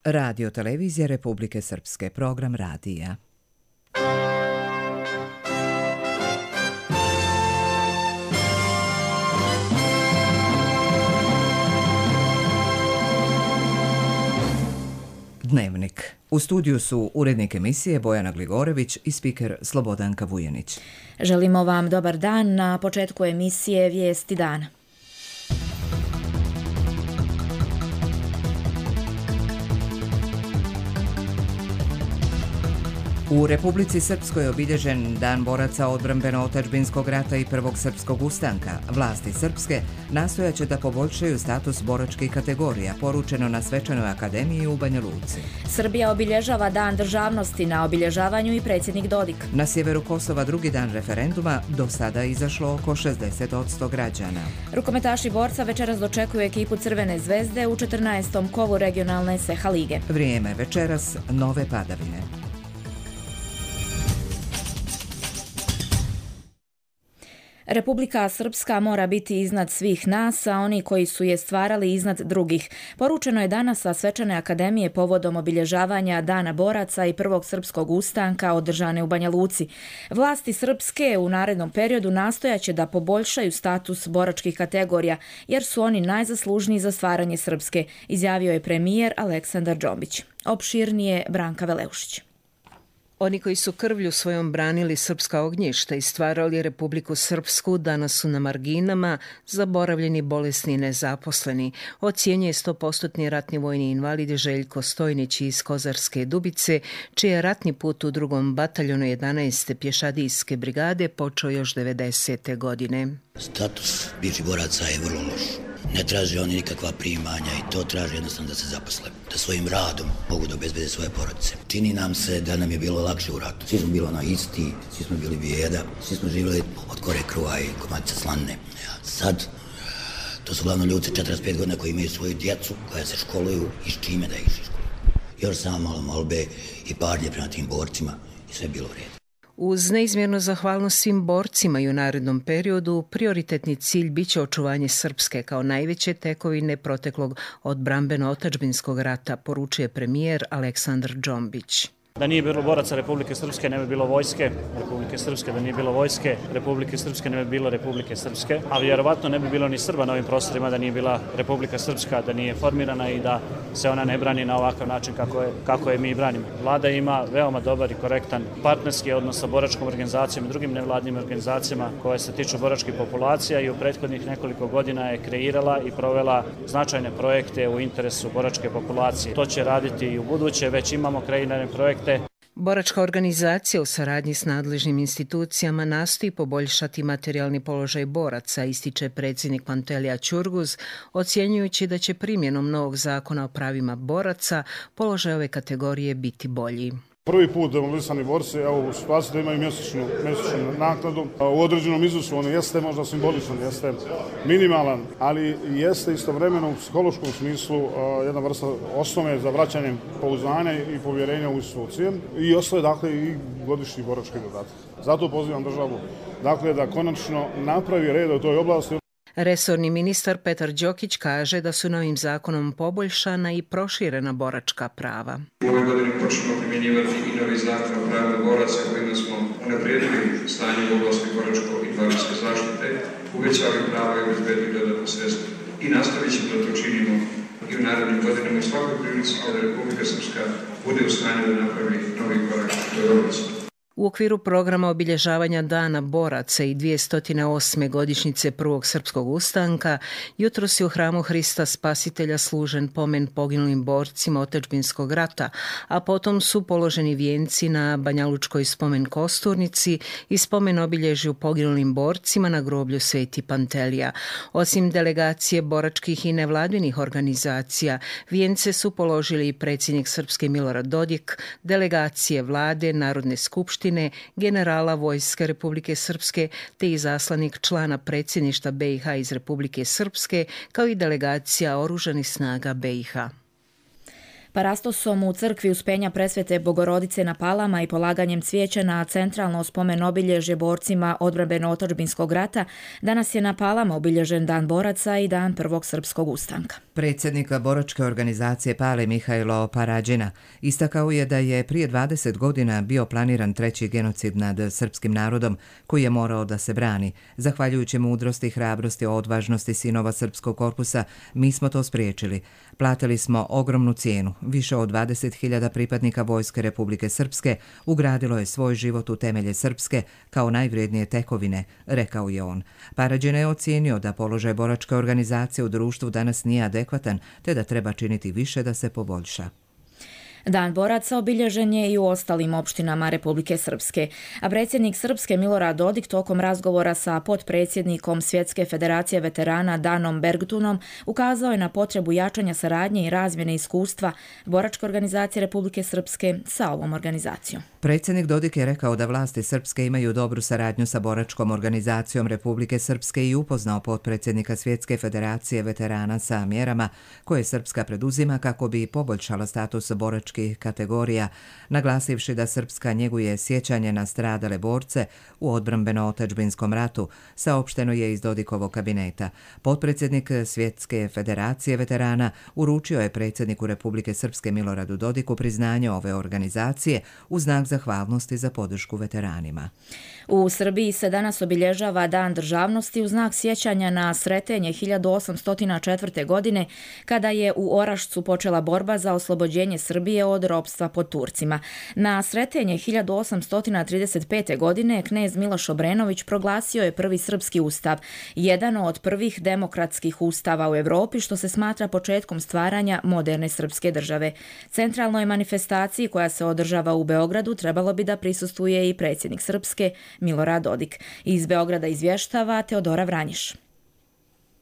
Radio Televizija Republike Srpske, program radija. Dnevnik. U studiju su urednik emisije Bojana Gligorević i spiker Slobodanka Vujanić. Želimo vam dobar dan. Na početku emisije Vijesti dana. U Republici Srpskoj je obilježen Dan boraca odbrambeno-otadžbinskog rata i Prvog srpskog ustanka. Vlasti srpske nastojaće da poboljšaju status boračkih kategorija, poručeno na Svečanoj akademiji u Banja Luci. Srbija obilježava Dan državnosti, na obilježavanju i predsjednik Dodik. Na sjeveru Kosova drugi dan referenduma, do sada je izašlo oko 60% građana. Rukometaši borca večeras dočekuju ekipu Crvene zvezde u 14. kovu regionalne SEHA lige. Vrijeme večeras, nove padavine. Republika Srpska mora biti iznad svih nas, a oni koji su je stvarali iznad drugih. Poručeno je danas sa Svečane akademije povodom obilježavanja Dana boraca i Prvog srpskog ustanka održane u Banja Luci. Vlasti srpske u narednom periodu nastojaće da poboljšaju status boračkih kategorija, jer su oni najzaslužniji za stvaranje Srpske, izjavio je premijer Aleksandar Džombić. Opširnije Branka Veleušić. Oni koji su krvlju svojom branili srpska ognjišta i stvarali Republiku Srpsku danas su na marginama, zaboravljeni, bolesni i nezaposleni, ocjenjuje 100% ratni vojni invalid Željko Stojnić iz Kozarske Dubice, čiji je ratni put u 2. bataljonu 11. pješadijske brigade počeo još 90. godine. Status bivših boraca je vrlo loš. Ne traže oni nikakva primanja i to traže jednostavno da se zaposle, da svojim radom mogu da obezbede svoje porodice. Čini nam se da nam je bilo lakše u ratu. Svi smo bili isti, svi smo bili bijeda, svi smo živjeli od kore kruha i komadice slanine. Sad, to su glavno ljudi 45 godina koji imaju svoju djecu, koja se školuju i s čime da ih školuju. Još samo malo molbe i parnje prema tim borcima i sve je bilo u redu. Uz neizmjernu zahvalnost svim borcima i u narednom periodu, prioritetni cilj biće očuvanje Srpske kao najveće tekovine proteklog odbrambeno-otadžbinskog rata, poručuje premijer Aleksandar Džombić. Da nije bilo boraca Republike Srpske, ne bi bilo vojske Republike Srpske, da nije bilo vojske Republike Srpske, ne bi bilo Republike Srpske, a vjerovatno ne bi bilo ni Srba na ovim prostorima da nije bila Republika Srpska, da nije formirana i da se ona ne brani na ovakav način kako je mi branimo. Vlada ima veoma dobar i korektan partnerski odnos sa boračkom organizacijom i drugim nevladnim organizacijama koje se tiču boračkih populacija i u prethodnih nekoliko godina je kreirala i provela značajne projekte u interesu boračke populacije. To će raditi i u buduće, već imamo kreirane projekte. Boračka organizacija u saradnji s nadležnim institucijama nastoji poboljšati materijalni položaj boraca, ističe predsjednik Pantelija Ćurguz, ocjenjujući da će primjenom novog zakona o pravima boraca položaj ove kategorije biti bolji. Prvi put demobilisani borci u situaciji da imaju mjesečnu naknadu. U određenom iznosu on jeste možda simboličan, jeste minimalan, ali jeste istovremeno u psihološkom smislu jedna vrsta osnove za vraćanje pouzdanja i povjerenja u institucije i ostaje i godišnji borački dodatak. Zato pozivam državu da konačno napravi red u toj oblasti. Resorni ministar Petar Đokić kaže da su novim zakonom poboljšana i proširena boračka prava. U ovoj godini počnemo primjenjivati i novi zakon o pravima boraca kojima smo unaprijedili stanje u oblasti boračko-invalidske zaštite, uvećali prava i obezbedili dodatna sredstva. I nastavit ćemo da to činimo i u narednim godinama u svakoj prilici kada Republika Srpska bude u stanju da napravi novi korak u toj oblasti. U okviru programa obilježavanja Dana boraca i 208. godišnjice Prvog srpskog ustanka, jutros je u hramu Hrista Spasitelja služen pomen poginulim borcima otadžbinskog rata, a potom su položeni vijenci na Banjalučkoj spomen kosturnici i spomen obilježju poginulim borcima na groblju Sveti Pantelija. Osim delegacije boračkih i nevladinih organizacija, vijence su položili i predsjednik Srpske Milorad Dodik, delegacije vlade, Narodne skupštine, generala Vojske Republike Srpske te izaslanik člana predsjedništva BiH iz Republike Srpske, kao i delegacija Oružanih snaga BiH. Parastosom u crkvi Uspenja Presvete Bogorodice na Palama i polaganjem cvijeća na centralno spomen obilježje borcima odbrambeno-otadžbinskog rata, danas je na Palama obilježen Dan boraca i Dan Prvog srpskog ustanka. Predsjednik boračke organizacije Pale Mihajlo Parađina istakao je da je prije 20 godina bio planiran treći genocid nad srpskim narodom koji je morao da se brani. Zahvaljujući mudrosti, hrabrosti, odvažnosti sinova srpskog korpusa, mi smo to spriječili. Platili smo ogromnu cijenu. Više od 20.000 pripadnika Vojske Republike Srpske ugradilo je svoj život u temelje Srpske kao najvrijednije tekovine, rekao je on. Parađina je ocijenio da položaj boračke organizacije u društvu danas nije adekvatan, te da treba činiti više da se poboljša. Dan boraca obilježen je i u ostalim opštinama Republike Srpske, a predsjednik Srpske Milorad Dodik tokom razgovora sa potpredsjednikom Svjetske federacije veterana Danom Bergtunom ukazao je na potrebu jačanja saradnje i razmjene iskustva boračke organizacije Republike Srpske sa ovom organizacijom. Predsjednik Dodik je rekao da vlasti Srpske imaju dobru saradnju sa boračkom organizacijom Republike Srpske i upoznao potpredsjednika Svjetske federacije veterana sa mjerama koje Srpska preduzima kako bi poboljšala status boračkih kategorija, naglasivši da Srpska njeguje sjećanje na stradale borce u odbrambeno-otadžbinskom ratu, saopšteno je iz Dodikovog kabineta. Potpredsjednik Svjetske federacije veterana uručio je predsjedniku Republike Srpske Miloradu Dodiku priznanje ove organizacije u znak zahvalnosti za podršku veteranima. U Srbiji se danas obilježava Dan državnosti u znak sjećanja na Sretenje 1804. godine, kada je u Orašcu počela borba za oslobođenje Srbije od ropstva pod Turcima. Na Sretenje 1835. godine knez Miloš Obrenović proglasio je prvi srpski ustav, jedan od prvih demokratskih ustava u Evropi, što se smatra početkom stvaranja moderne srpske države. Centralnoj manifestaciji koja se održava u Beogradu trebalo bi da prisustvuje i predsjednik Srpske Milorad Dodik. Iz Beograda izvještava Teodora Vranjiš.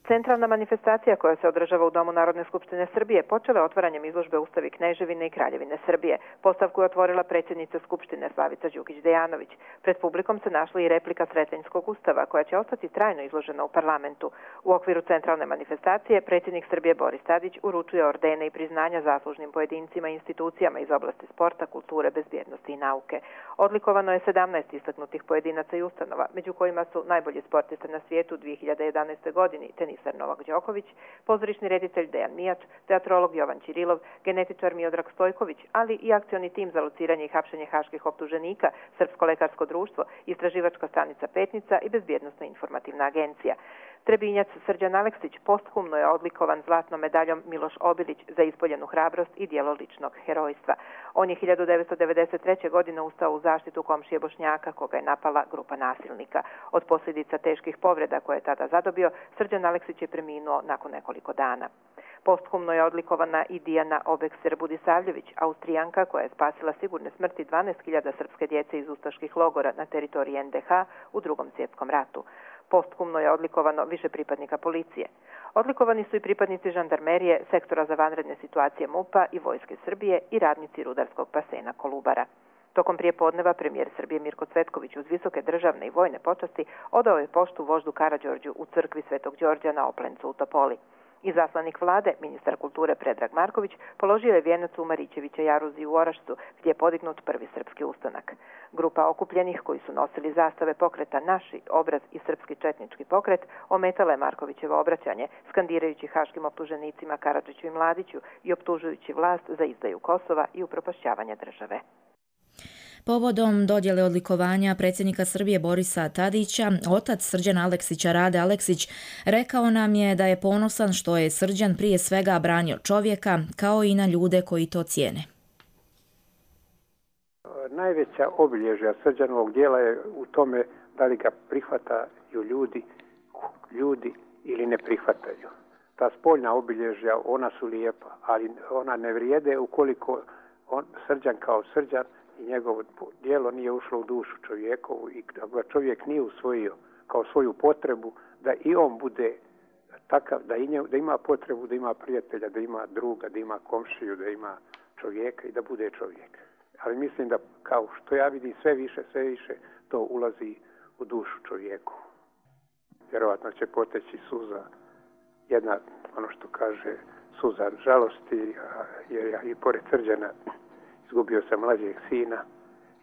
Centralna manifestacija koja se održava u Domu Narodne skupštine Srbije počela otvaranjem izložbe Ustavi Kneževine i Kraljevine Srbije. Postavku je otvorila predsjednica Skupštine Slavica Đukić-Dejanović. Pred publikom se našla i replika Sretenjskog ustava koja će ostati trajno izložena u parlamentu. U okviru centralne manifestacije predsjednik Srbije Boris Tadić uručuje ordene i priznanja zaslužnim pojedincima i institucijama iz oblasti sporta, kulture, bezbjednosti i nauke. Odlikovano je 17 istaknutih pojedinaca i ustanova, među kojima su najbolji sportista na svijetu u 2011. godini, tenisar Novak Đoković, pozorišni reditelj Dejan Mijač, teatrolog Jovan Ćirilov, genetičar Miodrag Stojković, ali i akcioni tim za lociranje i hapšenje haških optuženika, Srpsko lekarsko društvo, istraživačka stanica Petnica i bezbjednosna informativna agencija. Trebinjac Srđan Aleksić posthumno je odlikovan zlatnom medaljom Miloš Obilić za ispoljenu hrabrost i djelo ličnog herojstva. On je 1993. godine ustao u zaštitu komšije Bošnjaka koga je napala grupa nasilnika. Od posljedica teških povreda koje je tada zadobio, Srđan Aleksić je preminuo nakon nekoliko dana. Posthumno je odlikovana i Dijana Obekser Budisavljević, Austrijanka koja je spasila sigurne smrti 12.000 srpske djece iz ustaških logora na teritoriji NDH u Drugom svjetskom ratu. Posthumno je odlikovano više pripadnika policije. Odlikovani su i pripadnici žandarmerije, sektora za vanredne situacije MUP-a i Vojske Srbije i radnici rudarskog basena Kolubara. Tokom prijepodneva premijer Srbije Mirko Cvetković uz visoke državne i vojne počasti odao je poštu voždu Karađorđu u crkvi Svetog Đorđa na Oplencu u Topoli. Izaslanik vlade, ministar kulture Predrag Marković, položio je vijenac u Marićevića jaruzi u Orašcu, gdje je podignut prvi srpski ustanak. Grupa okupljenih koji su nosili zastave pokreta Naši, Obraz i Srpski četnički pokret ometala je Markovićevo obraćanje, skandirajući haškim optuženicima Karadžiću i Mladiću i optužujući vlast za izdaju Kosova i upropašćavanje države. Povodom dodjele odlikovanja predsjednika Srbije Borisa Tadića, otac Srđana Aleksića Rade Aleksić rekao nam je da je ponosan što je Srđan prije svega branio čovjeka kao i na ljude koji to cijene. Najveća obilježja Srđanovog djela je u tome da li ga prihvataju ljudi ili ne prihvataju. Ta spoljna obilježja, ona su lijepa, ali ona ne vrijede ukoliko Srđan kao Srđan i njegovo djelo nije ušlo u dušu čovjekovu i da ga čovjek nije usvojio kao svoju potrebu da i on bude takav, da ima potrebu, da ima prijatelja, da ima druga, da ima komšiju, da ima čovjeka i da bude čovjek. Ali mislim da kao što ja vidim sve više to ulazi u dušu čovjeku. Vjerovatno će poteći suza, jedna, ono što kaže, suza žalosti, jer ja i pored Srđana izgubio sam mlađeg sina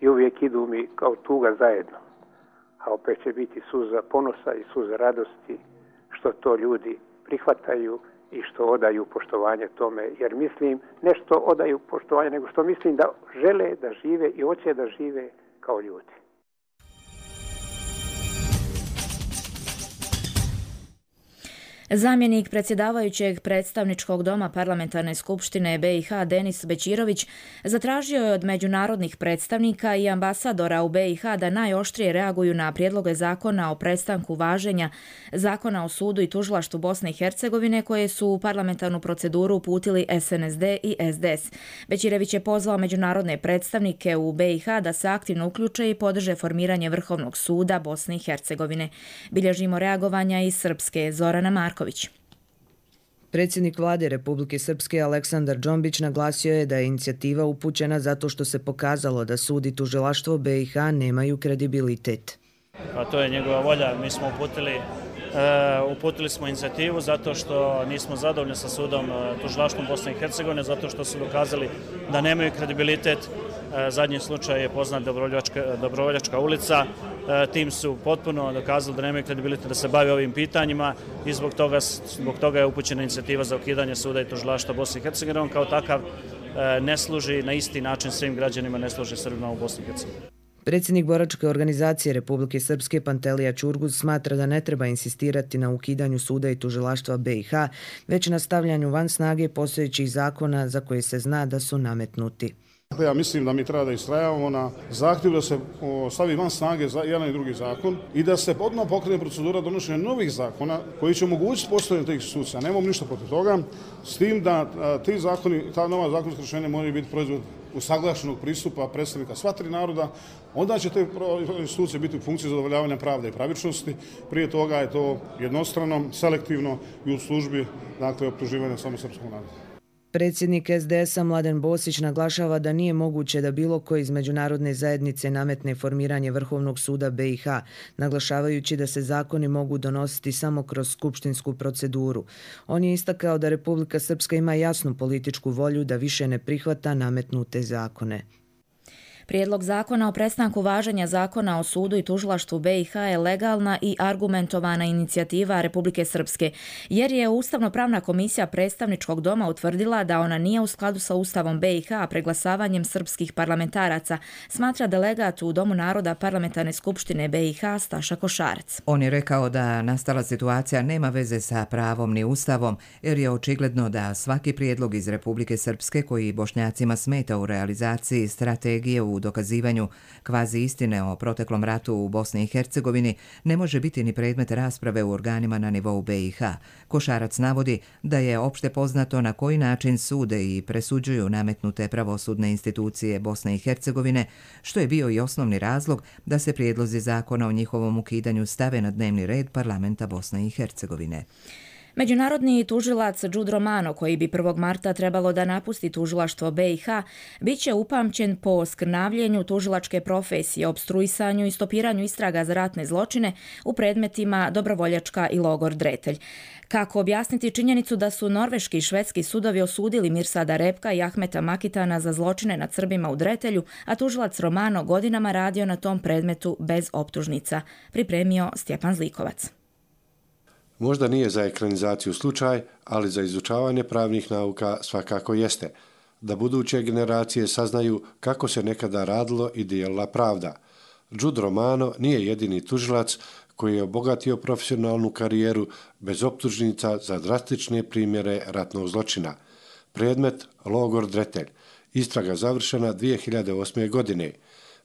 i uvijek idu mi kao tuga zajedno. A opet će biti suza ponosa i suza radosti što to ljudi prihvataju i što odaju poštovanje tome, jer mislim ne što odaju poštovanje, nego što mislim da žele da žive i hoće da žive kao ljudi. Zamjenik predsjedavajućeg predstavničkog doma Parlamentarne skupštine BiH Denis Bećirović zatražio je od međunarodnih predstavnika i ambasadora u BiH da najoštrije reaguju na prijedloge zakona o prestanku važenja Zakona o sudu i tužilaštvu Bosne i Hercegovine koje su u parlamentarnu proceduru uputili SNSD i SDS. Bećirović je pozvao međunarodne predstavnike u BiH da se aktivno uključe i podrže formiranje Vrhovnog suda Bosne i Hercegovine. Bilježimo reagovanja iz Srpske. Zorana Marković. Predsjednik vlade Republike Srpske Aleksandar Džombić naglasio je da je inicijativa upućena zato što se pokazalo da sud i tužilaštvo BiH nemaju kredibilitet. A to je njegova volja. Mi smo uputili smo inicijativu zato što nismo zadovoljni sa sudom tužilaštvom Bosne i Hercegovine, zato što su dokazali da nemaju kredibilitet. Zadnji slučaj je poznat Dobrovoljačka ulica. Tim su potpuno dokazali da nemaju kredibilitet da se bave ovim pitanjima i zbog toga je upućena inicijativa za ukidanje suda i tužilaštva Bosne i Hercegovine. On kao takav ne služi na isti način svim građanima, ne služi Srbima u Bosni i Hercegovini. Predsjednik boračke organizacije Republike Srpske Pantelija Čurguz smatra da ne treba insistirati na ukidanju suda i tužilaštva BiH, već na stavljanju van snage postojećih zakona za koje se zna da su nametnuti. Ja mislim da mi treba da istrajavamo na zahtjevu da se stavi van snage jedan i drugi zakon i da se odmah pokrene procedura donošenja novih zakona koji će omogućiti postojanje tih institucija. Nemamo ništa protiv toga, s tim da ti zakoni, ta nova zakonska rješenja moraju biti proizvod usaglašenog pristupa predstavnika sva tri naroda, onda će te institucije biti u funkciji zadovoljavanja pravde i pravičnosti. Prije toga je to jednostrano, selektivno i u službi optuživanja samo srpskog naroda. Predsjednik SDS-a Mladen Bosić naglašava da nije moguće da bilo ko iz međunarodne zajednice nametne formiranje Vrhovnog suda BiH, naglašavajući da se zakoni mogu donositi samo kroz skupštinsku proceduru. On je istakao da Republika Srpska ima jasnu političku volju da više ne prihvata nametnute zakone. Prijedlog zakona o prestanku važenja Zakona o sudu i tužilaštvu BiH je legalna i argumentovana inicijativa Republike Srpske, jer je Ustavno-pravna komisija predstavničkog doma utvrdila da ona nije u skladu sa Ustavom BiH, a preglasavanjem srpskih parlamentaraca, smatra delegat u Domu naroda Parlamentarne skupštine BiH Staša Košarac. On je rekao da nastala situacija nema veze sa pravom ni Ustavom, jer je očigledno da svaki prijedlog iz Republike Srpske koji Bošnjacima smeta u realizaciji strategije u dokazivanju kvazi istine o proteklom ratu u Bosni i Hercegovini ne može biti ni predmet rasprave u organima na nivou BiH. Košarac navodi da je opšte poznato na koji način sude i presuđuju nametnute pravosudne institucije Bosne i Hercegovine, što je bio i osnovni razlog da se prijedlozi zakona o njihovom ukidanju stave na dnevni red parlamenta Bosne i Hercegovine. Međunarodni tužilac Đud Romano, koji bi 1. marta trebalo da napusti tužilaštvo BiH, bit će upamćen po skrnavljenju tužilačke profesije, opstruisanju i stopiranju istraga za ratne zločine u predmetima Dobrovoljačka i logor Dretelj. Kako objasniti činjenicu da su norveški i švedski sudovi osudili Mirsada Repka i Ahmeta Makitana za zločine nad Srbima u Dretelju, a tužilac Romano godinama radio na tom predmetu bez optužnica, pripremio Stjepan Zlikovac. Možda nije za ekranizaciju slučaj, ali za izučavanje pravnih nauka svakako jeste, da buduće generacije saznaju kako se nekada radilo i dijelila pravda. Đud Romano nije jedini tužilac koji je obogatio profesionalnu karijeru bez optužnica za drastične primjere ratnog zločina. Predmet logor Dretelj. Istraga završena 2008. godine.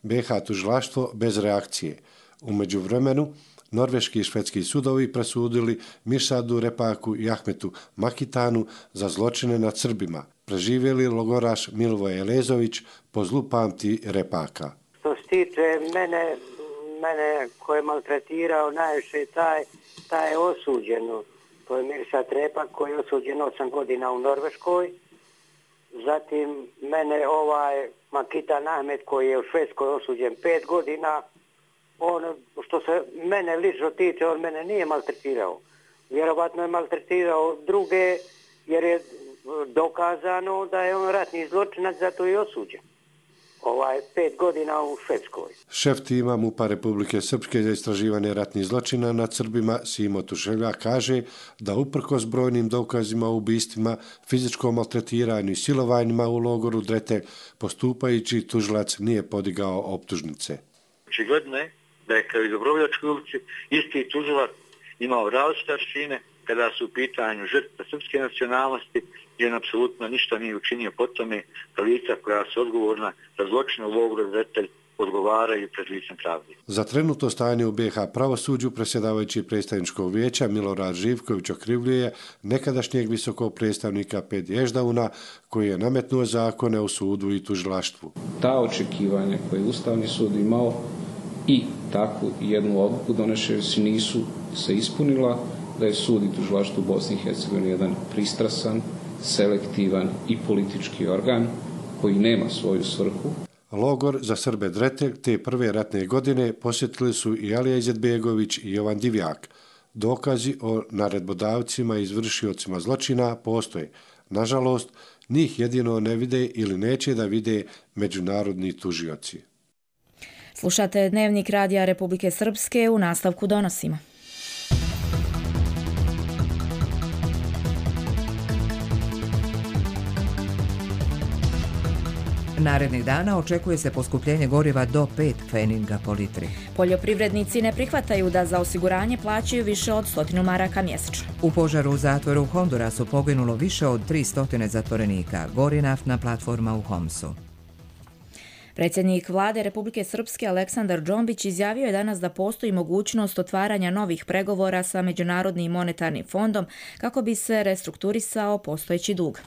BiH tužilaštvo bez reakcije. U međuvremenu norveški i švedski sudovi presudili Mirsadu Repaku i Ahmetu Makitanu za zločine nad Srbima. Preživjeli logoraš Milivoje Elezović po zlu pamti Repaka. Što se tiče mene ko je maltretirao najviše, taj je osuđeno. To je Mirsad Repak koji je osuđen 8 godina u Norveškoj. Zatim mene Makitan Ahmet koji je u Švedskoj osuđen 5 godina. On, što se mene lično tiče, on mene nije maltretirao. Vjerovatno je maltretirao druge jer je dokazano da je on ratni zločinac, zato je osuđen. 5 godina u Švedskoj. Šef tima MUP-a Republike Srpske za istraživanje ratnih zločina nad Srbima Simo Tušelja kaže da uprkos brojnim dokazima o ubistvima, fizičkom maltretiranju i silovanjima u logoru Dretelj, postupajući tužilac nije podigao optužnice. Očigledno je da je kao i Dobrovoljačkoj ulici isti tužilac imao različite aršine kada su u pitanju žrtve srpske nacionalnosti, gdje on apsolutno ništa nije učinio po tome, da lica koja su odgovorna za zločine u logoru Dretelj odgovaraju pred licem pravde. Za trenutno stanje u BiH pravosuđu predsjedavajući predstavničkog vijeća Milorad Živković okrivljuje nekadašnjeg visokog predstavnika Pedi Ježdavuna koji je nametnuo zakone u sudu i tužilaštvu. Ta očekivanja koje je Ustavni sud imao i takvu jednu odluku donešeći nisu se ispunila, da je sud i tužilaštvo u Bosni i Hercegovini jedan pristrasan, selektivan i politički organ koji nema svoju svrhu. Logor za Srbe Dretelj te prve ratne godine posjetili su i Alija Izetbegović i Jovan Divjak. Dokazi o naredbodavcima i izvršiocima zločina postoje. Nažalost, njih jedino ne vide ili neće da vide međunarodni tužioci. Slušate Dnevnik Radija Republike Srpske, u nastavku donosimo. Narednih dana očekuje se poskupljenje goriva do 5 pfeninga po litri. Poljoprivrednici ne prihvataju da za osiguranje plaćaju više od 100 maraka mjesečno. U požaru u zatvoru u Hondurasu poginulo više od 300 zatvorenika, gori naftna platforma u Homsu. Predsjednik vlade Republike Srpske Aleksandar Džombić izjavio je danas da postoji mogućnost otvaranja novih pregovora sa Međunarodnim monetarnim fondom kako bi se restrukturisao postojeći dug.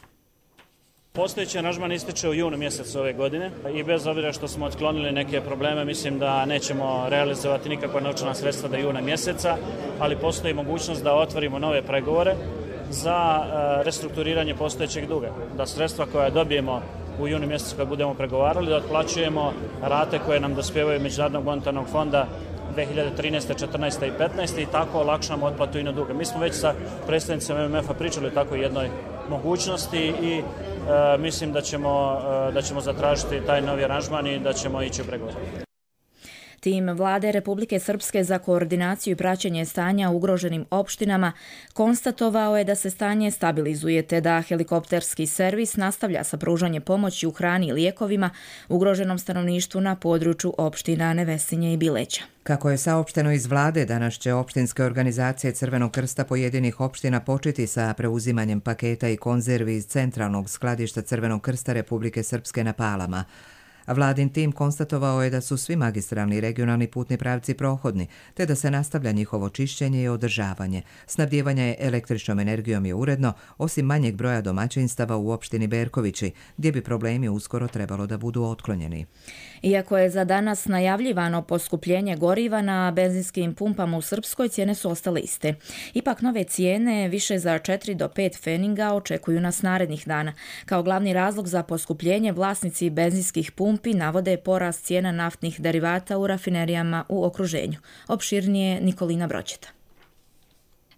Postojeći aranžman ističe u junu mjesecu ove godine i bez obzira što smo otklonili neke probleme, mislim da nećemo realizovati nikakva novčana sredstva do juna mjeseca, ali postoji mogućnost da otvorimo nove pregovore za restrukturiranje postojećeg duga. Da sredstva koja dobijemo u junu mjesecu kad budemo pregovarali, da otplaćujemo rate koje nam dospijevaju Međunarodnog monetarnog fonda 2013. 14. i 15. i tako olakšamo otplatu ino duga. Mi smo već sa predstavnicima MMF-a pričali o takvoj jednoj mogućnosti i mislim da ćemo zatražiti taj novi aranžman i da ćemo ići u pregovor. Tim vlade Republike Srpske za koordinaciju i praćenje stanja u ugroženim opštinama konstatovao je da se stanje stabilizuje te da helikopterski servis nastavlja sa pružanjem pomoći u hrani i lijekovima ugroženom stanovništvu na području opština Nevesinje i Bileća. Kako je saopšteno iz vlade, danas će opštinske organizacije Crvenog krsta pojedinih opština početi sa preuzimanjem paketa i konzervi iz centralnog skladišta Crvenog krsta Republike Srpske na Palama. Vladin tim konstatovao je da su svi magistralni i regionalni putni pravci prohodni, te da se nastavlja njihovo čišćenje i održavanje. Snabdijevanje električnom energijom je uredno, osim manjeg broja domaćinstava u opštini Berkovići, gdje bi problemi uskoro trebalo da budu otklonjeni. Iako je za danas najavljivano poskupljenje goriva na benzinskim pumpama u Srpskoj, cijene su ostale iste. Ipak nove cijene, više za 4 do 5 pfeninga, očekuju nas narednih dana. Kao glavni razlog za poskupljenje vlasnici benzinskih pumpi navode porast cijena naftnih derivata u rafinerijama u okruženju. Opširnije Nikolina Broćeta.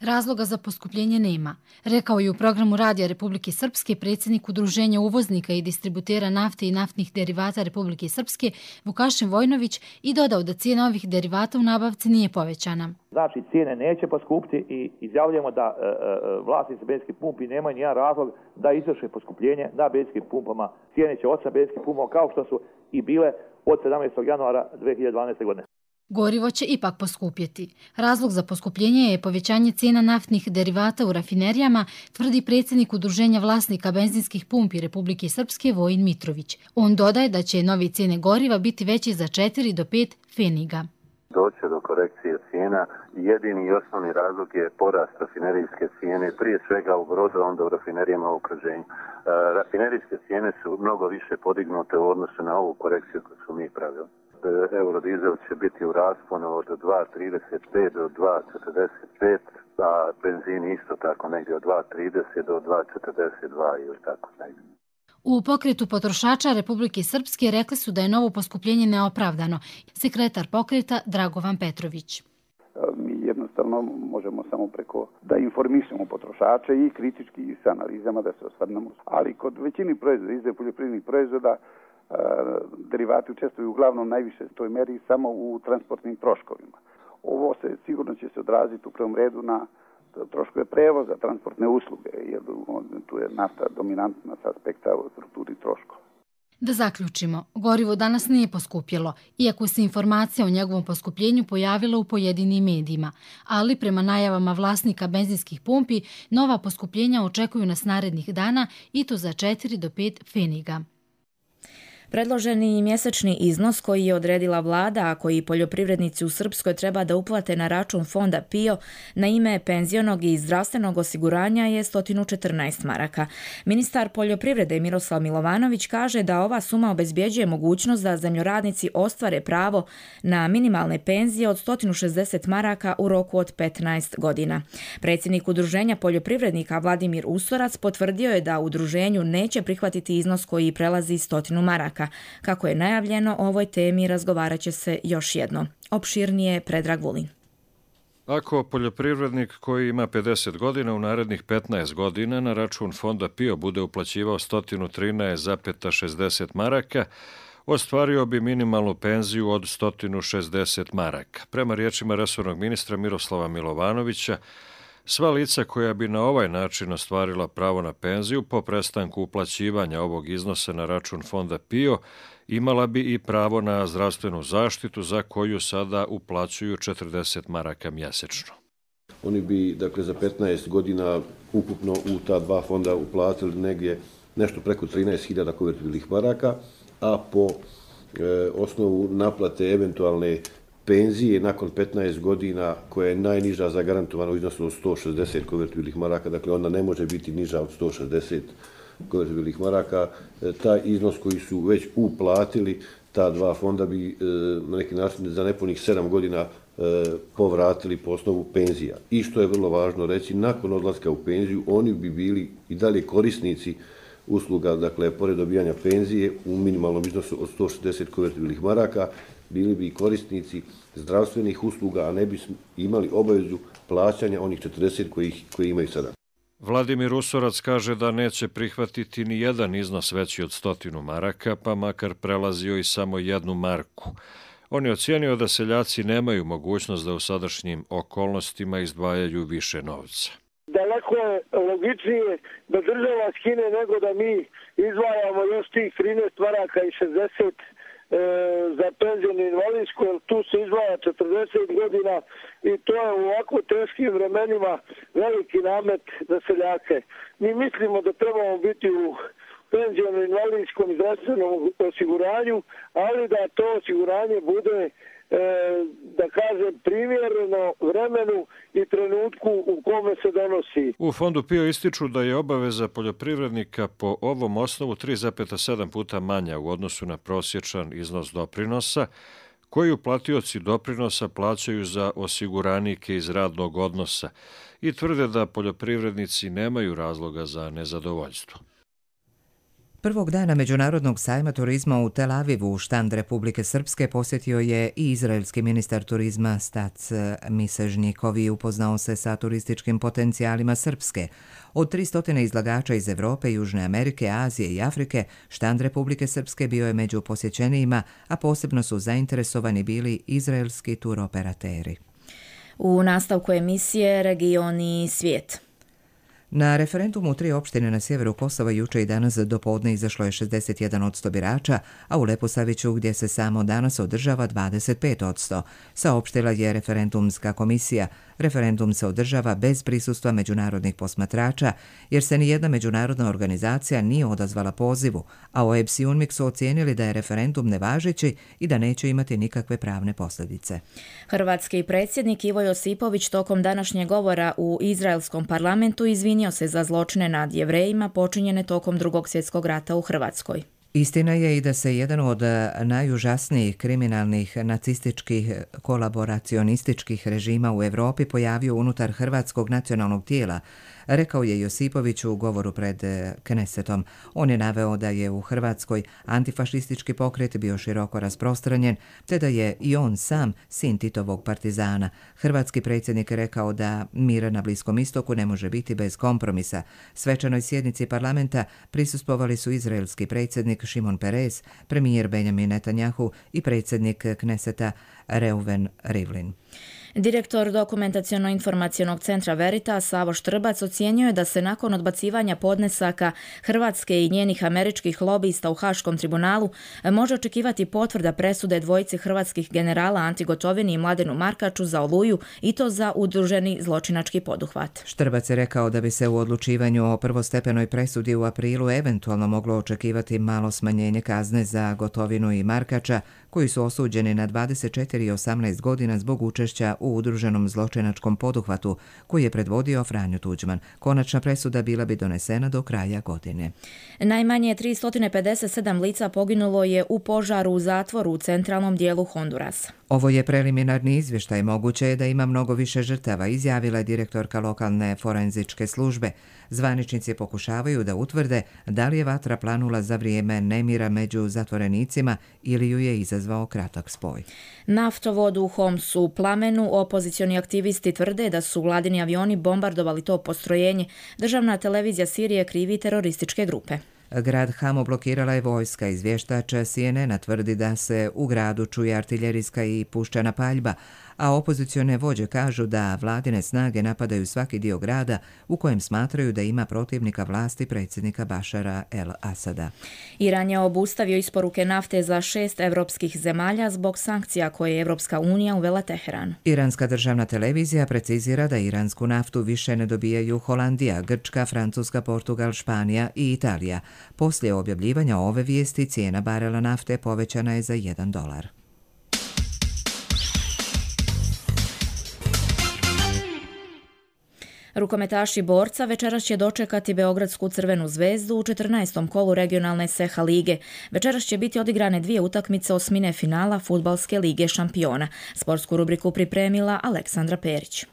Razloga za poskupljenje nema, rekao je u programu Radija Republike Srpske predsjednik Udruženja uvoznika i distributera nafte i naftnih derivata Republike Srpske Vukašin Vojnović i dodao da cijena ovih derivata u nabavci nije povećana. Znači cijene neće poskupiti i izjavljujemo da vlasnici benzinskih pumpi nemaju nijedan razlog da izvrše poskupljenje na benzinskim pumpama. Cijene će ostati benzinskih pumpama kao što su i bile od 17. januara 2012. godine. Gorivo će ipak poskupjeti. Razlog za poskupljenje je povećanje cijena naftnih derivata u rafinerijama, tvrdi predsjednik Udruženja vlasnika benzinskih pumpi Republike Srpske Vojin Mitrović. On dodaje da će nove cijene goriva biti veće za 4 do 5 pfeniga. Doće do korekcije cijena. Jedini i osnovni razlog je porast rafinerijske cijene, prije svega u Brodu, onda u rafinerijama u okruženju. Rafinerijske cijene su mnogo više podignute u odnosu na ovu korekciju koju su mi pravili. Eurodizel će biti u rasponu od 2,35 do 2,45, a benzin isto tako negdje od 2,30 do 2,42 ili tako negdje. U pokretu potrošača Republike Srpske rekli su da je novo poskupljenje neopravdano. Sekretar pokreta Dragovan Petrović. Mi jednostavno možemo samo preko da informišemo potrošače i kritički i sa analizama da se osvrnemo. Ali kod većini proizvoda, izdaje poljoprivrednih proizvoda, derivati učestvuju uglavnom najviše toj meri samo u transportnim troškovima. Ovo sigurno će se odraziti u prvom redu na troškove prevoza, transportne usluge, jer tu je nafta dominantna s aspekta u strukturi troškova. Da zaključimo, gorivo danas nije poskupjelo, iako se informacija o njegovom poskupljenju pojavila u pojedinim medijima, ali prema najavama vlasnika benzinskih pumpi, nova poskupljenja očekuju nas narednih dana i to za 4 do 5 pfeniga. Predloženi mjesečni iznos koji je odredila vlada, a koji poljoprivrednici u Srpskoj treba da uplate na račun fonda PIO na ime penzionog i zdravstvenog osiguranja je 114 maraka. Ministar poljoprivrede Miroslav Milovanović kaže da ova suma obezbjeđuje mogućnost da zemljoradnici ostvare pravo na minimalne penzije od 160 maraka u roku od 15 godina. Predsjednik Udruženja poljoprivrednika Vladimir Usorac potvrdio je da udruženju neće prihvatiti iznos koji prelazi 100 maraka. Kako je najavljeno, o ovoj temi razgovarat će se još jedno. Opširnije Predrag Vulin. Ako poljoprivrednik koji ima 50 godina u narednih 15 godina na račun fonda PIO bude uplaćivao 113,60 maraka, ostvario bi minimalnu penziju od 160 maraka. Prema riječima resornog ministra Miroslava Milovanovića, sva lica koja bi na ovaj način ostvarila pravo na penziju po prestanku uplaćivanja ovog iznosa na račun fonda PIO imala bi i pravo na zdravstvenu zaštitu za koju sada uplaćuju 40 maraka mjesečno. Oni bi, dakle, za 15 godina ukupno u ta dva fonda uplatili negdje nešto preko 13.000 konvertibilnih maraka, a po osnovu naplate eventualne penzije nakon 15 godina, koja je najniža zagarantovana u iznosu od 160 konvertibilnih maraka, dakle ona ne može biti niža od 160 konvertibilnih maraka, taj iznos koji su već uplatili, ta dva fonda bi na neki način za nepunih 7 godina povratili po osnovu penzija. I što je vrlo važno reći, nakon odlaska u penziju, oni bi bili i dalje korisnici usluga, dakle, pored dobijanja penzije u minimalnom iznosu od 160 konvertibilnih maraka, bili bi korisnici zdravstvenih usluga, a ne bi imali obavezu plaćanja onih 40 koji imaju sada. Vladimir Usorac kaže da neće prihvatiti ni jedan iznos veći od 100 maraka, pa makar prelazio i samo 1 marku. On je ocijenio da seljaci nemaju mogućnost da u sadašnjim okolnostima izdvajaju više novca. Daleko je logičnije da država skine nego da mi izdvajamo još tih 13 maraka i 60 za penzijnu invalidsku, jer tu se izdvaja 40 godina i to je u ovako teškim vremenima veliki namet za seljake. Mi mislimo da trebamo biti u penzijnom invalidskom i zdravstvenom osiguranju, ali da to osiguranje bude, da kažem, primjereno vremenu i trenutku u kome se donosi. U fondu PIO ističu da je obaveza poljoprivrednika po ovom osnovu 3,7 puta manja u odnosu na prosječan iznos doprinosa, koji uplatioci doprinosa plaćaju za osiguranike iz radnog odnosa i tvrde da poljoprivrednici nemaju razloga za nezadovoljstvo. Prvog dana Međunarodnog sajma turizma u Tel Avivu, štand Republike Srpske, posjetio je i izraelski ministar turizma Stac Misežnjikov i upoznao se sa turističkim potencijalima Srpske. Od 300 izlagača iz Evrope, Južne Amerike, Azije i Afrike, štand Republike Srpske bio je među posjećenijima, a posebno su zainteresovani bili izraelski turoperateri. U nastavku emisije Regioni i svijet. Na referendumu u 3 opštine na sjeveru Kosova juče i danas do podne izašlo je 61% birača, a u Leposaviću, gdje se samo danas održava, 25%. Saopštila je referendumska komisija. Referendum se održava bez prisustva međunarodnih posmatrača, jer se nijedna međunarodna organizacija nije odazvala pozivu, a OEBS i UNMIK su ocijenili da je referendum nevažeći i da neće imati nikakve pravne posljedice. Hrvatski predsjednik Ivo Josipović tokom današnjeg govora u izraelskom parlamentu izvinio se za zločine nad Jevrejima počinjene tokom Drugog svjetskog rata u Hrvatskoj. Istina je i da se jedan od najužasnijih kriminalnih nacističkih kolaboracionističkih režima u Europi pojavio unutar hrvatskog nacionalnog tijela, rekao je Josipović u govoru pred Knesetom. On je naveo da je u Hrvatskoj antifašistički pokret bio široko rasprostranjen, te da je i on sam sin Titovog partizana. Hrvatski predsjednik je rekao da mir na Bliskom istoku ne može biti bez kompromisa. Svečanoj sjednici parlamenta prisustvovali su izraelski predsjednik Šimon Peres, premijer Benjamin Netanjahu i predsjednik Kneseta Reuven Rivlin. Direktor Dokumentaciono-informacionog centra Veritas Savo Štrbac ocijenio je da se nakon odbacivanja podnesaka Hrvatske i njenih američkih lobista u Haškom tribunalu može očekivati potvrda presude dvojici hrvatskih generala Anti Gotovini i Mladenu Markaču za Oluju i to za udruženi zločinački poduhvat. Štrbac je rekao da bi se u odlučivanju o prvostepenoj presudi u aprilu eventualno moglo očekivati malo smanjenje kazne za Gotovinu i Markača, koji su osuđeni na 24 i 18 godina zbog učešća u udruženom zločinačkom poduhvatu koji je predvodio Franjo Tuđman. Konačna presuda bila bi donesena do kraja godine. Najmanje 357 lica poginulo je u požaru u zatvoru u centralnom dijelu Hondurasa. Ovo je preliminarni izvještaj, moguće je da ima mnogo više žrtava, izjavila je direktorka lokalne forenzičke službe. Zvaničnici pokušavaju da utvrde da li je vatra planula za vrijeme nemira među zatvorenicima ili ju je izazvao kratak spoj. Naftovod u Homsu u plamenu, opozicioni aktivisti tvrde da su vladini avioni bombardovali to postrojenje. Državna televizija Sirije krivi terorističke grupe. Grad Hamo blokirala je vojska. Izvještač CNN tvrdi da se u gradu čuje artiljerijska i puščana paljba, a opozicione vođe kažu da vladine snage napadaju svaki dio grada u kojem smatraju da ima protivnika vlasti predsjednika Bašara el-Asada. Iran je obustavio isporuke nafte za 6 evropskih zemalja zbog sankcija koje je Evropska unija uvela Teheranu. Iranska državna televizija precizira da iransku naftu više ne dobijaju Holandija, Grčka, Francuska, Portugal, Španija i Italija. Poslije objavljivanja ove vijesti cijena barela nafte povećana je za $1. Rukometaši Borca večeras će dočekati Beogradsku Crvenu zvezdu u 14. kolu regionalne SEHA lige. Večeras će biti odigrane 2 utakmice osmine finala Fudbalske lige šampiona. Sportsku rubriku pripremila Aleksandra Perić.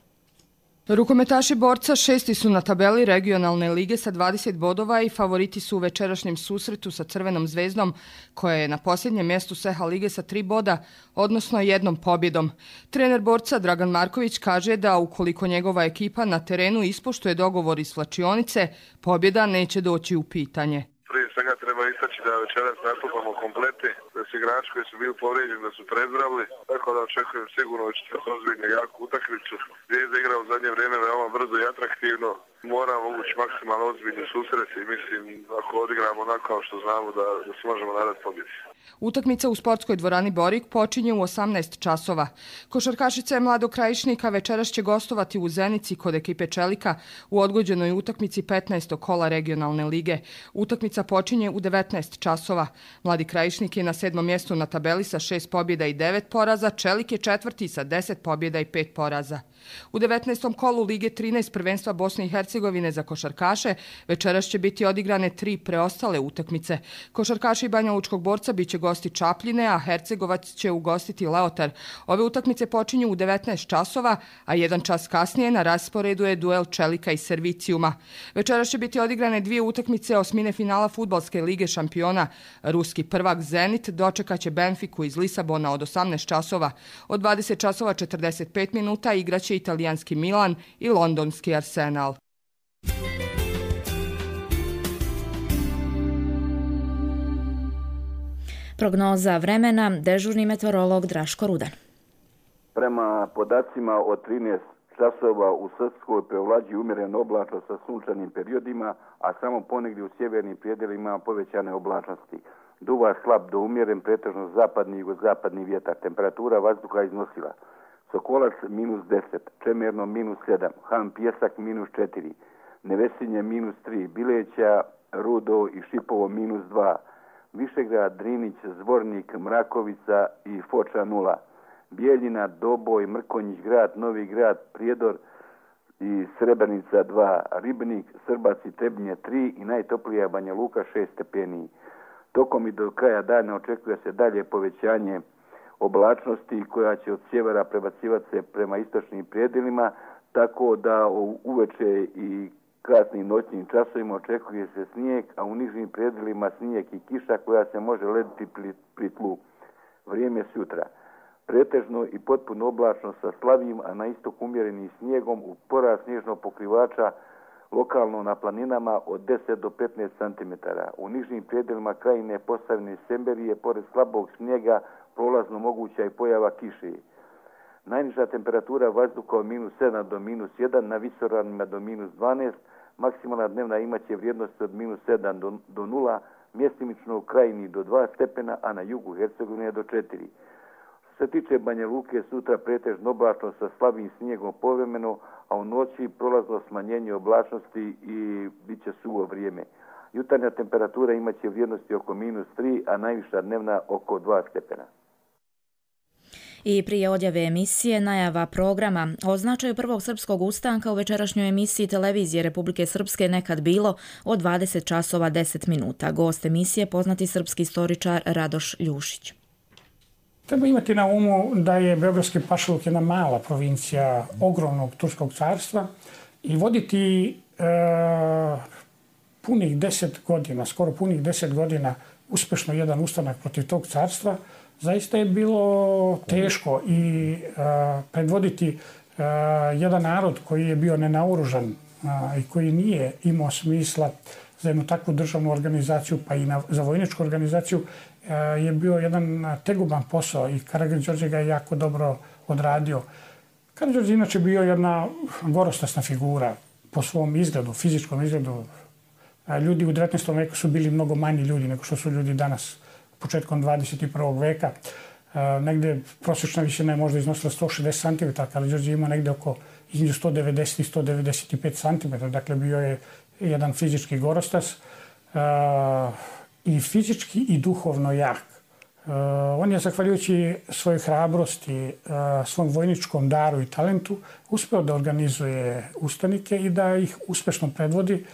Rukometaši Borca 6. su na tabeli regionalne lige sa 20 bodova i favoriti su u večerašnjem susretu sa Crvenom zvezdom, koja je na posljednjem mjestu SEHA lige sa 3 boda, odnosno 1 pobjedom. Trener Borca Dragan Marković kaže da ukoliko njegova ekipa na terenu ispoštuje dogovor iz slačionice, pobjeda neće doći u pitanje. Prije svega treba istaći da večeras nastupamo kompleti, da su igrači koji su bili povrijeđeni, da su prezdravili, tako da očekujem sigurno da ćete ozbiljno jaku utakmicu. Zvijezda igra u zadnje vrijeme veoma brzo i atraktivno. Moramo ući maksimalno ozbiljni susreti i mislim ako odigramo onako kao što znamo da se možemo nadati pobjedi. Utakmica u sportskoj dvorani Borik počinje u 18 časova. Košarkašica Mlado Krajišnika večeras će gostovati u Zenici kod ekipe Čelika u odgođenoj utakmici 15. kola regionalne lige. Utakmica počinje u 19 časova. Mladi Krajišnik je na 7. mjestu na tabeli sa 6 pobjeda i 9 poraza, Čelik je 4. sa 10 pobjeda i 5 poraza. U 19. kolu Lige 13 prvenstva Bosne i Hercegovine za košarkaše večeras će biti odigrane 3 preostale utakmice. Košarkaši Banja Lučkog Borca biće gosti Čapljine, a Hercegovac će ugostiti Leotar. Ove utakmice počinju u 19 časova, a 1 čas kasnije na rasporedu je duel Čelika i Servicijuma. Večeras će biti odigrane 2 utakmice osmine finala Fudbalske lige šampiona. Ruski prvak Zenit dočekaće Benfiku iz Lisabona od 18 časova. Od 20 časova 45 minuta igraće italijanski Milan i londonski Arsenal. Prognoza vremena, dežurni meteorolog Draško Rudan. Prema podacima od 13 časova u Srpskoj prevlađuje umjerena oblačnost sa sunčanim periodima, a samo ponegdje u sjevernim predjelima povećane oblačnosti. Duva slab do umjeren, pretežno zapadni i jugozapadni vjetar. Temperatura vazduha iznosila Sokolac -10, Čemerno -7, Han Pjesak -4, Nevesinje -3, Bileća, Rudo i Šipovo -2, Višegrad, Drinić, Zvornik, Mrakovica i Foča 0, Bijeljina, Doboj, Mrkonjić grad, Novi grad, Prijedor i Srebrenica 2, Ribnik, Srbac i Trebnje 3 i najtoplija Banja Luka 6 stepeni. Tokom i do kraja dana očekuje se dalje povećanje oblačnosti koja će od sjevera prebacivati se prema istočnim predjelima, tako da uveče i kasnim noćnim časovima očekuje se snijeg, a u nižim predjelima snijeg i kiša koja se može lediti pri tlu. Vrijeme sutra. Pretežno i potpuno oblačno sa slabim, a na istok umjerenim snijegom u porast snježnog pokrivača lokalno na planinama od 10 do 15 cm. U nižim predjelima krajine Posavine Semberije, pored slabog snijega, prolazno moguća i pojava kiše. Najniža temperatura vazduha od -7 do -1, na visoravnima do -12, maksimalna dnevna imaće vrijednost od -7 do 0, mjestimično u krajini do 2 stepena, a na jugu Hercegovine do 4. Što se tiče Banja Luke, sutra pretežno oblačno sa slabim snijegom povremeno, a u noći prolazno smanjenje oblačnosti i bit će suvo vrijeme. Jutarnja temperatura imaće vrijednosti oko -3, a najviša dnevna oko 2 stepena. I prije odjave emisije najava programa o značaju prvog srpskog ustanka u večerašnjoj emisiji televizije Republike Srpske Nekad bilo od 20 časova 10 minuta. Gost emisije poznati srpski istoričar Radoš Ljušić. Treba imati na umu da je Beogradski pašaluk jedna mala provincija ogromnog Turskog carstva i voditi punih 10 godina, skoro punih 10 godina uspješno jedan ustanak protiv tog carstva, zaista je bilo teško i predvoditi jedan narod koji je bio nenaoružan i koji nije imao smisla za jednu takvu državnu organizaciju, pa i za vojničku organizaciju, je bio jedan tegoban posao i Karađorđe ga je jako dobro odradio. Karađorđe inače bio jedna gorostasna figura po svom izgledu, fizičkom izgledu. Ljudi u 19. veku su bili mnogo manji ljudi nego što su ljudi danas, početkom 21. veka. Negde prosječna visina je možda iznosila 160 cm, Karađorđe ima negde oko između 190 i 195 cm, dakle bio je jedan fizički gorostas i fizički i duhovno jak. On je, zahvaljujući svojoj hrabrosti, svom vojničkom daru i talentu, uspeo da organizuje ustanike i da ih uspešno predvodi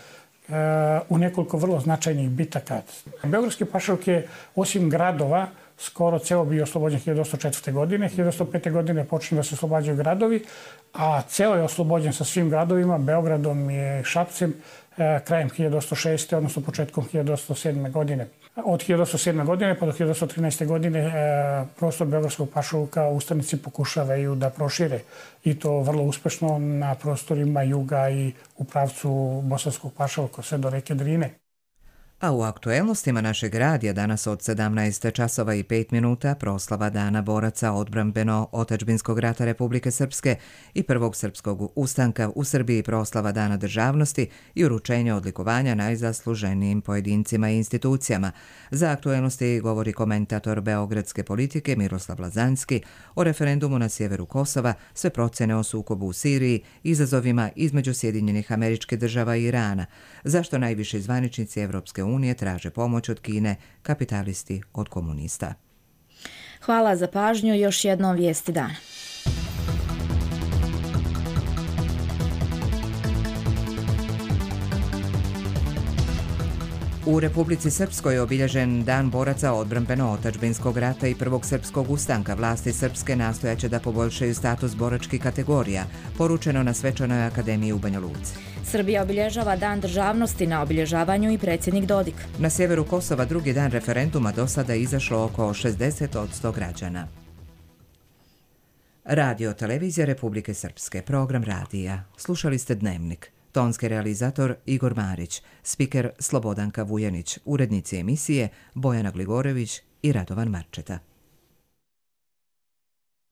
u nekoliko vrlo značajnih bitaka. Beogradski pašaluk je, osim gradova, skoro ceo bio oslobođen 1804. godine. 1805. godine počinju da se oslobađaju gradovi, a ceo je oslobođen sa svim gradovima, Beogradom i Šapcem, krajem 1806. odnosno početkom 1807. godine. Od 1807. godine pa do 1813. godine prostor Beogradskog pašaluka ustanici pokušavaju da prošire i to vrlo uspešno na prostorima juga i u pravcu Bosanskog pašaluka sve do reke Drine. A u aktuelnostima našeg radija danas od 17 časova i 5 minuta proslava Dana boraca odbrambeno-otadžbinskog rata Republike Srpske i prvog srpskog ustanka u Srbiji, proslava Dana državnosti i uručenje odlikovanja najzasluženijim pojedincima i institucijama. Za aktuelnosti govori komentator beogradske politike Miroslav Lazanski o referendumu na sjeveru Kosova, sve procjene o sukobu u Siriji, izazovima između Sjedinjenih Američkih Država i Irana, zašto najviši zvaničnici Evropske unije traže pomoć od Kine, kapitalisti od komunista. Hvala za pažnju, još jednom vijesti dana. U Republici Srpskoj je obilježen Dan boraca odbrambeno-otadžbinskog rata i prvog srpskog ustanka. Vlasti srpske nastojaće da poboljšaju status boračkih kategorija, poručeno na Svečanoj akademiji u Banja Luci. Srbija obilježava Dan državnosti, na obilježavanju i predsjednik Dodik. Na sjeveru Kosova drugi dan referenduma do sada je izašlo oko 60% građana. Radio televizija Republike Srpske, program radija. Slušali ste Dnevnik. Tonski realizator Igor Marić, spiker Slobodanka Vujanić, urednici emisije Bojana Gligorević i Radovan Marčeta.